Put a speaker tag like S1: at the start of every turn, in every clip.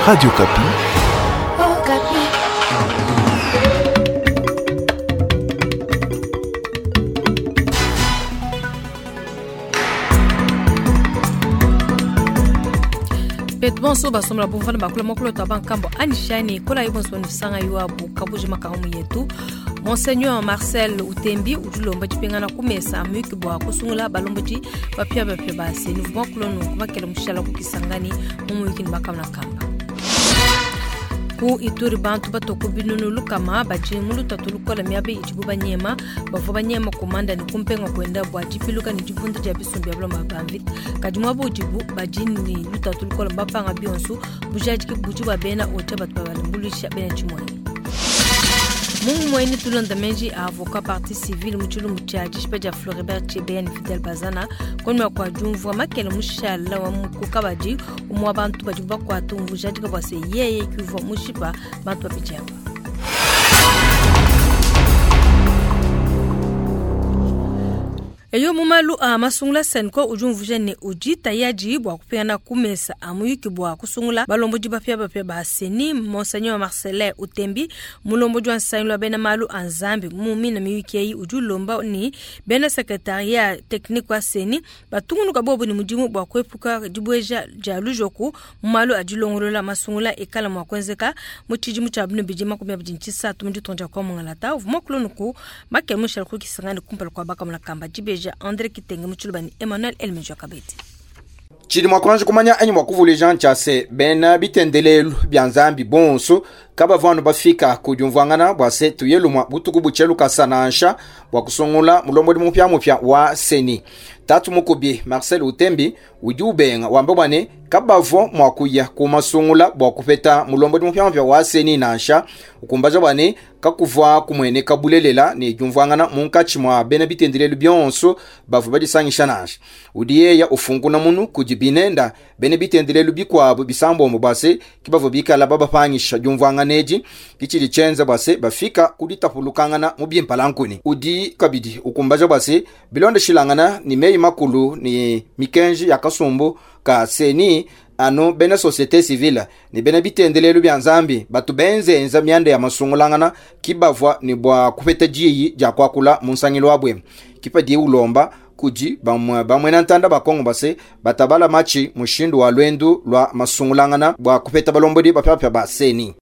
S1: Radio Okapi.
S2: Okapi.
S3: Betu bonso basombola bumvana bakula mokolo twa bankambo anishani kola ye bonso nusanga yuabu kabuji makamu yetu. Monseigneur Marcel Utembi udi ulomba dipingana ku mesa muyuki bua kusungula balombodi bapiabapia ba CENI uvua kulonu kubakela mushala kukisangani mu muyuki ne bakamuna kamba. Ku Ituri bantu batoko binunu lukama badi mu lutatu lukola miaba idibu banyema bavua banyema komanda ne kumpenga kuenda bua dipiluka ne dibunda dia bisumbu bia buloma ba mvita kadi muaba udibu badi ne lutatu lukola bapanga bionso bujadiki budi bua bena ocha batu babalumbuluisha bena tshimuanyi. Mungu mweni tulonda menji a avocat partie civile mu tshilumbu tshia dishipa dia Floribert Chebeya ne Fidel Bazana konima kua diumvua makele mushala wa mukuka badi umwa bantu badi bakuata umvujadika bua se yeye kuvua mushipa bantu babidi aba. Eyo mumalu a masungula CENCO udi umvuja ne udi tayadi bua kupingana ku mesa a muyuki bua kusungula balombodi bapiabapia ba CENI. Monseigneur Marcelin Utembi mulombodi wa nsangilu wa bena malu a Nzambi mu mina miyuki eyi udi ulomba ni bena secretariat technique wa CENI batungunuka bobu ne mudimu bua kuepuka dibueja dia lujoku mu malu a dilongolola masungula ekala mua kuenzeka mu tshidimu tshia binu bidi makumi abidi ne tshisatu mu ditunga dia Kwa-Mungalata. Uvua muakulu makele mushala kukisangani kumpala kua bakamuna kamba dibeja André Kitenge mu tshiluba ne Emmanuel Elmejo Kabedi.
S4: Tshidi mua kuanji kumanya anyi mua kuvuluija ntshia se bena bitendelelu bia Nzambi bonso kabavua anu bafika ku diumvuangana bua se tuye lumua butuku butshia lukasa nansha bua kusungula mulombodi mupiamupia wa CENI. Tatu mukubi Marcel Utembi udi ubenga wamba bua ne kabavua mua kuya ku masungula bua kupeta mulombodi mupiamupia wa CENI nansha, ukumbaja bua ne kakuvua kumueneka bulelela ne diumvuangana munkatshi mua bena bitendelelu bionso bavua badisangisha nansha. Udi yeya ufunkuna munu kudi binenda bena bitendelelu bikuabu bisambombo bua se ki bavua bikala babapangisha diumvuangana edi kitshidi tshienza bua se bafika ku ditapulukangana mu bimpalankuni. Udi kabidi ukumbaja bua se bilondeshilangana ni meyi makulu ni mikenji ya kasumbu ka CENI anu bena société civile ni bena bitendelelu bia Nzambi batu benzenza mianda ya masungulangana kibavua ni bua kupeta diyi dia kuakula mu nsangilu wabwe. Kipa diye ulomba kudi bamwena ntanda ba Kongo base batabala machi mushindu wa lwendu lwa masungulangana bua kupeta balombodi bapiapia ba CENI.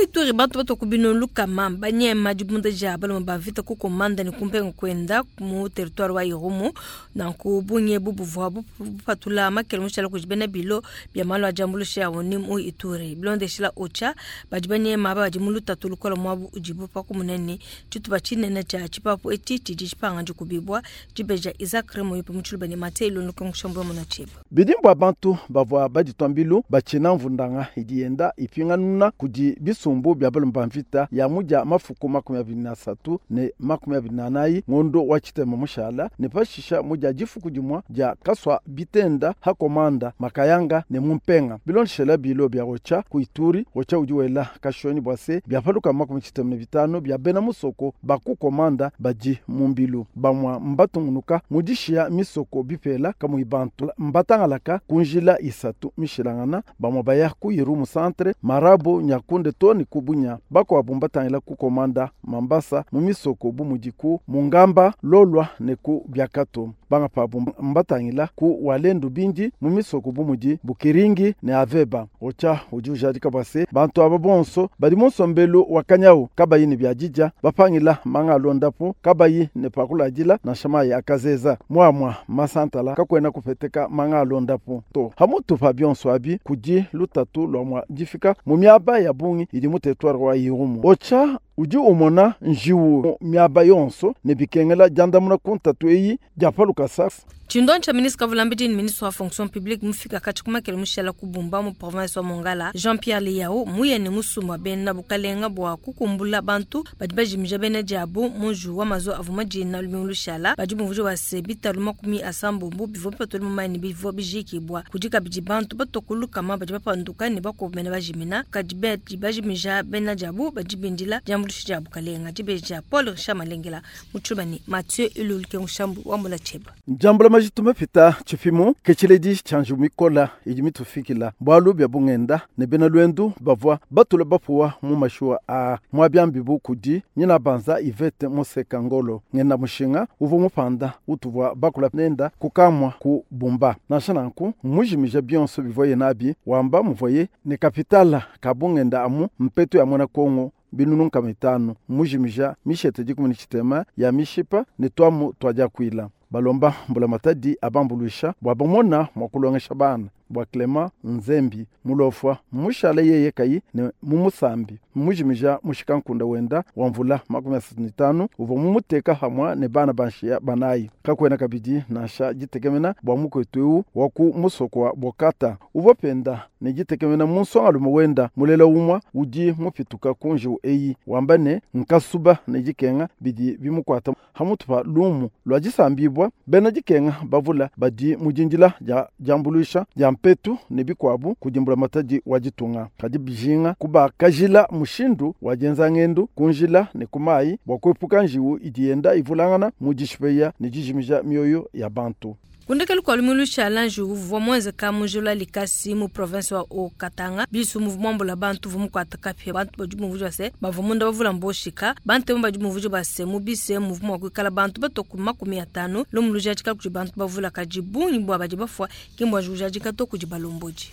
S3: Ituri bantu batoko bino lukama banyema dibunda dia baloma ba vita ku komanda ne kumpenga kwenda mu territoire wa Irumu nanku bunye bubuvua bupatula makele mushala kudi bena bilo bia malu a diambuluisha ya oni mu Ituri bilondeshila ocha badi banyema aba badi mu lutatu lukola muabu udibu pa kumunene tshitupa tshinene tshia tshipapu etshi tshidi tshipanga dikubibua dibeja Isaac Remo yupi mu tshiluba ne Mathieu Ilundu Kengushambwe muna tshieba.
S5: Bidimbu abantu bavua baditwa mbilu batshina mvundanga idi yenda ipinganuna kudi bisumbu bia balomba mvita ya mudia mafuku 23 ne 24 ngondo wa tshitema mushala ne pashisha mudia difuku dimua dia kaswa bitenda ha komanda makayanga ne mumpenga bilondeshela bilo bia rocha ku Ituri. Rocha udi wela kashoni bua se bia paluka 95 bia bena musoko baku komanda badi mumbilu bamwa mbatungunuka mudishia misoko bipela kamui bantu mbatangalaka kunjila isatu mishilangana bamwa baya ku Irumu centre Marabo Nyakunde toni kubunya bakuabu mbatangila ku komanda Mambasa mu misoko bu mudiku Mungamba Lolwa ne ku Biakato banga pabu mbatangila ku Walendu bindi mu misoko bu mudi Bukiringi ne Aveba. Ocha udi ujadika bua se bantu aba bonso badi mu nsombelu wa kanyau kabayi ne biadidya bapangila manga alondapo kabayi ne pakuladila nansha mayi akazeza muamua masantala kakwena kupeteka manga alondapo to hamutu pa bionso abi kudi lutatu lwa mwa difika mu miaba ya bungi idi mu territoire wa Irumu. Ocha udi umona njiwu miaba yonso ne bikengela diandamuna ku ntatu eyi dia paluka sa.
S3: Tshindontsha ministre Kavulambidi ni ministre wa fonction publique mufika kati kumakele mushala kubumba mu province wa Mongala Jean-Pierre Lihau muye ne musumba bena bukalenga bua kukumbula bantu badi bajimija bena diabu muju wa mazo avuma dina lumingu lushala badi bumvuja wa se bitalu makumi asambombo bivua bipatula mu mayi ne bivua bijikibwa kudi kabidi bantu batokuluka badi bapanduka ne bakomena bajimina kadi badi bajimija bena diabu badi bindila diambuluisha dia bukalenga dibeja Paul Richard Malengela mu tshiluba ne Mathieu Ilulu Kengushambwe wa Mbola Tsheba.
S5: Njambula Majitu mapita tshipimu ke tshiledi tshia njiwu mikola idi mitufikila bualu bia bungenda ne bena luendu bavua batula bapuwa mu mashuwa aa muabiambibu kudi nyina banza Ivete Moseka Ngolo ngenda mushinga uvua mupanda utuvua bakula nenda kukamua ku Bumba. Nansha nanku mujimija bionso bivuaye nabi wamba muvuaye ne kapitala ka bungenda amu mpetu ya muena Kongo binunu nkama itanu mujimija mishete dikumi ne tshitema ya mishipa ne tuamu tuadiakuila. Balomba mbulamatadi abambuluisha bua bamona mua kulongesha bana bua Clement Nzembi mulofwa mushale yeye kayi ne mumusambi mujimija mushikankunda wenda wa mvula 35 uvua mumuteka hamwa ne bana banshiya banayi. Kakwena kabidi nansha ditekemena bua mukwetu eu wa ku musoko wa Bokata uvua penda ne ditekemena mu nsongalume wenda mulela umwa udi mupituka ku njiwu eyi wamba ne nkasuba ne dikenga bidi bimukwata hamutu pa lumu lwa disambibwa bena dikenga bavula badi mudindila dia diambuluisha dia mpetu ne bikwabu kudimbula matadi wa ditunga kadi bijinga kubakajila mushindu wa dienza ngendu kunjila ne kumayi bua kuepuka njiwu idi yenda ivulangana mu dishipeya ne dijimija mioyo ya bantu.
S3: Kundekelu kwa lumilu challenge uvua mwenzeka mujula likasi mu province wa Haut-Katanga bisu mouvement mbola bantu vumu kwa takapia bantu badi muvuja base bavua munda bavula mboshika bantu badi muvuja base mu bise mouvement wa kuikala bantu batoku 50 lomu lujajika kudi bantu bavula kaji bungi bwa badi bafwa kimbwa jujajika to kudi balomboji.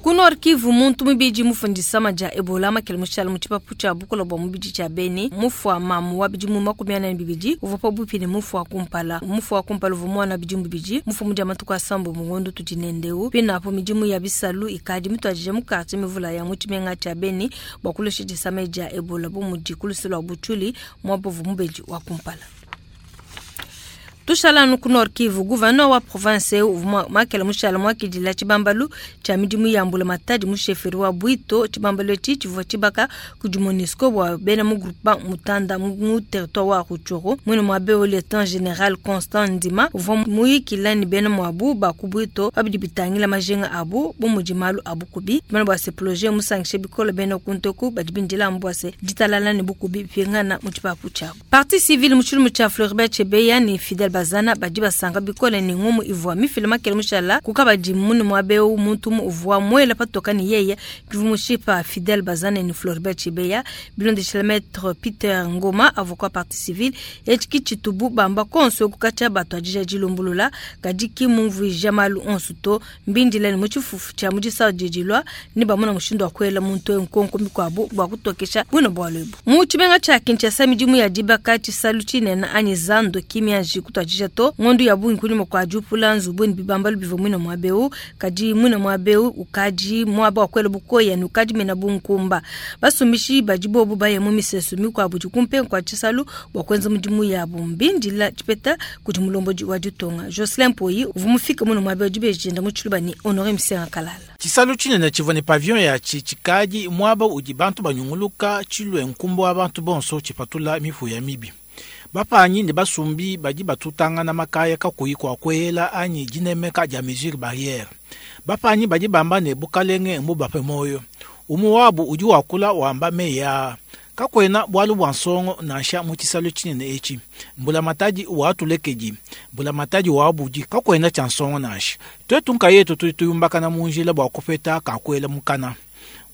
S3: Ku Nord Kivu muntu mubidi mufundisa maja Ebola makele mushala mu tshipapu tshia bukola bua mubidi tshia Beni mufua mamu wa bidimu 42 uvua pabuipi ne mufua kumpala mufua kumpala uvua mwana bidimu bibidi mufua mudia matuku asambo mungondo tudi nendeu pinapo midimu ya bisalu ikadi mituadije mu quartier mivula ya mu tshimenga tshia Beni bua kulesha disama dia Ebola bu mudi kulusi lua Butshuli muabovu mubedi wa kumpala. Tushala nu ku Nord Kivu, gouverneur wa province uvua makele mushala mwakidila tshibambalu tshia midimu ya mbula matadi mu chefferie wa Bwito. Tshibambalu etshi tshivua tshibaka kudi MONUSCO bua bena mu groupement Mutanda mu territoire wa Rutshuru. Mwene mua beo lieutenant général Constant Ndima uvua muyikila ne bena muabu ba ku Bwito babidi bitangila majinga abu bu mudi malu abu kubi. Tumana bua se projet musangishe bikole bena kuntoku badi bindila amu bua se ditalala ne bukubi bipingana mu tshipapu tshiabu. Parti civile mu tshilumu tshia Floribert Chebeya ne Fidel Bazana badi basanga bikole ne ngumu ivua mifile makele mushala kukabadi munu mwabeu muntu uvua mwela patoka ni yeye kivumushipa Fidel Bazana ni Floribert Chebeya bilondeshela maître Peter Ngoma avocat partie civile etiki chitubu bamba konso kukacha bato adija dilumbulula kadi kimumvuija malu onso to mbindile ni muchifufu cha mujisa jijilwa ni bamuna mushindo wa kwela muntu nkonko mikwabu bwa kutokesha bwino bwa lwebu mu chibenga cha Kinshasa midimu ya dibaka chisalu chinena anyi zando kimya jikutwa jato ngondu ya bungi kulima kwa jupula nzubu ni bibambalu bivo mwina mwabeu kadi mwina mwabeu ukaji mwaba wa kwela bukoya ni ukaji mena bunkumba basumbishi bajibobu baye mu misesu mikwa buji kumpe kwa chisalu bwa kwenza mudimu ya bumbindila chipeta kuti mulomboji wa ditonga Jocelyn Poyi uvumufika muno mwabeu jibejenda muchiluba ni Honoré Msenga Kalala.
S1: Chisalu chinene chivua ne pavillon ya chichikaji mwaba udi bantu banyunguluka chilwe nkumbo wa bantu bonso chipatula mifu ya mibi. Bapanyi ne basumbi badi batutangana makaya kakuyi kwa kwela anyi dinemeka dia mesure barrière. Bapanyi badi bamba ne bukalenge mbubape moyo. Umu wabu udi wakula wamba meya. Kakwena bwalu bwa nsongo nansha mu tshisalu tshinene etshi. Mbula matadi wa tulekeji, mbula matadi wa budi kakwena tshia nsongo nansha. Twetu nkayetu tudi tuyumbakana mu njila bua kupeta kakwela mukana.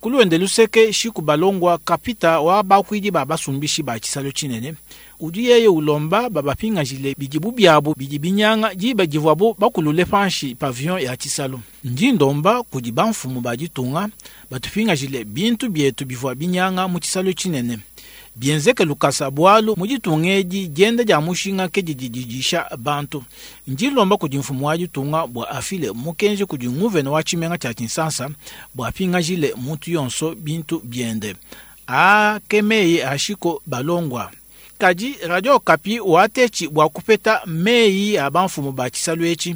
S1: Kuluende luseke shiku balongwa kapita wa bakwidi ba basumbishi ba tshisalu tshinene. Udi yeye ulomba babapingajile bidibu byabu bidi binyanga diba divuabu bakulule panshi pavillon ya tshisalu. Ndi ndomba kudi bamfumu ba ditunga batupingajile bintu bietu bivua binyanga mu tshisalu tshinene. Bienzeke lukasa bwalu mu ditunga edi dienda dia mushinga ke didi didisha bantu. Ndi lomba kudi mfumu wa ditunga bua afile mukenji kudi nguvene wa tshimenga tshia Kinshasa bua apingajile muntu yonso bintu biende. A ke meyi ashiko balongwa. Kadi Radio Okapi watechi bua kupeta meyi a bamfumu ba tshisalu etshi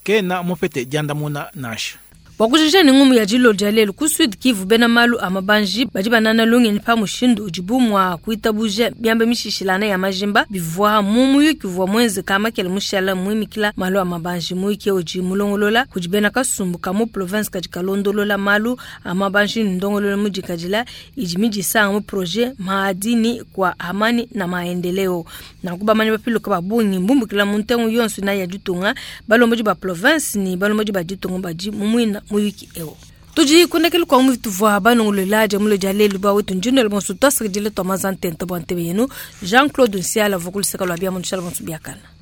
S1: kena mupete diandamuna nansha.
S3: Bua kujikija ne ngumu ya dilolo dia lelu, ku Sud Kivu bena malu a mabanji badi banana lungenyi pa mushindu udibu mua kuitabuja miaba mishishilangana ya majimba bivua mu muyuki uvua muenzeka makele mushala muimikila malu a mabanji. Muyuki udi mulongolola kudi bena kasumbu ka mu province kadi kalondolola malu a mabanji ne ndongoluelu mudikadila idi midisanga mu projet Maadini kwa amani na maendeleo. Nanku bamanyi bapiluka ba bungi mbumbukila mu ntengu yonso inayi ya ditunga, balombodi ba province ne balombodi ba ditunga badi mu muina muyuki eu. Tudi kundekelu kua mu tuvua banongolola dia mulo dia lelu ba wetu ndinelo bonso tuasakidile tua manza ntenta bua ntebe yenu. Jean-Claude Nsiala uvua ku luseke lua bia mu nshala bonso biakana.